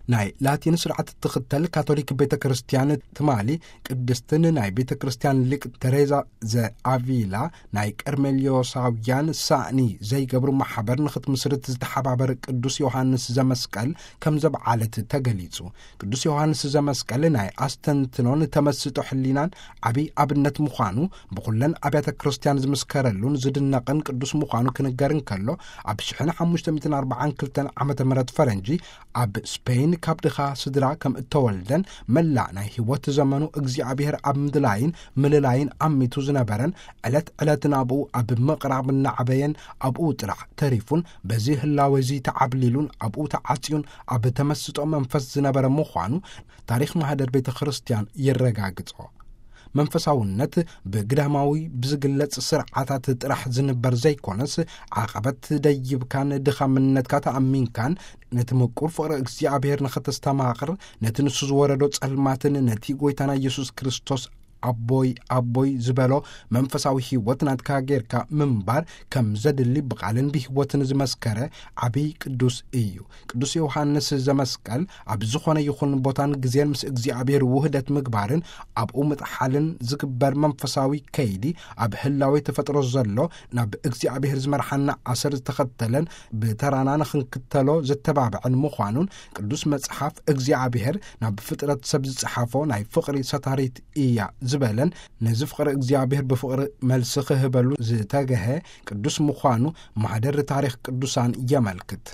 ናይ ላቲን ስርዓት እትኽተል ካቶሊክ ቤተ ክርስቲያን ትማሊ ቅድስትን ናይ ቤተ ክርስቲያን ሊቅ ተሬዛ ዘኣቪላ ናይ ቀርሜልዮሳውያን ሳእኒ ዘይገብሩ ማሕበር ንኽትምስርት ዝተሓባበር ቅዱስ ዮሃንስ ዘመስቀል ከም ዘብዓለት ተገሊጹ። ቅዱስ ዮሃንስ ዘመስቀል ናይ ኣስተንትኖን ተመስጦ ሕሊናን ዓብይ ኣብነት ምዃኑ ብኹለን ኣብያተ ክርስቲያን ዝምስከረሉን ዝድነቕን ቅዱስ ምዃኑ ክንገር እንከሎ፣ ኣብ ሽሕን ሓሙሽተ ሚእትን ኣርባዓን ክልተን ዓመተ ምህረት ፈረንጂ ኣብ ስፔን ካብ ድኻ ስድራ ከም እተወልደን መላእ ናይ ህይወት ዘመኑ እግዚኣብሔር ኣብ ምድላይን ምልላይን ኣሚቱ ዝነበረን ዕለት ዕለት ናብኡ ኣብ ምቕራብ እናዓበየን ኣብኡ ጥራሕ ተሪፉን በዚ ህላወ እዚ ተዓብሊሉን ኣብኡ ተዓጽዩን ኣብ ተመስጦ መንፈስ ዝነበረ ምዃኑ ታሪኽ ማህደር ቤተ ክርስቲያን የረጋግጾ። መንፈሳውነት ብግዳማዊ ብዝግለጽ ስርዓታት ጥራሕ ዝንበር ዘይኮነስ፣ ዓቐበት ደይብካን ድኻምነትካ ተኣሚንካን ነቲ ምቁር ፍቕሪ እግዚኣብሔር ንኸተስተማቕር፣ ነቲ ንሱ ዝወረዶ ጸልማትን ነቲ ጐይታና ኢየሱስ ክርስቶስ ኣቦይ ኣቦይ ዝበሎ መንፈሳዊ ህይወት ናትካ ጌርካ ምንባር ከም ዘድሊ ብቓልን ብህይወትን ዝመስከረ ዓብዪ ቅዱስ እዩ። ቅዱስ ዮሃንስ ዘመስቀል ኣብ ዝኾነ ይኹን ቦታን ግዜን ምስ እግዚኣብሔር ውህደት ምግባርን ኣብኡ ምጥሓልን ዝግበር መንፈሳዊ ከይዲ ኣብ ህላዌ ተፈጥሮ ዘሎ ናብ እግዚኣብሔር ዝመርሓና ኣሰር ዝተኸተለን ብተራና ንኽንክተሎ ዘተባብዕን ምዃኑን ቅዱስ መጽሓፍ እግዚኣብሔር ናብ ፍጥረት ሰብ ዝጸሓፎ ናይ ፍቕሪ ሰታሪት እያ ዝበለን ነዚ ፍቕሪ እግዚኣብሔር ብፍቕሪ መልሲ ክህበሉ ዝተገሀ ቅዱስ ምዃኑ ማህደር ታሪኽ ቅዱሳን የመልክት።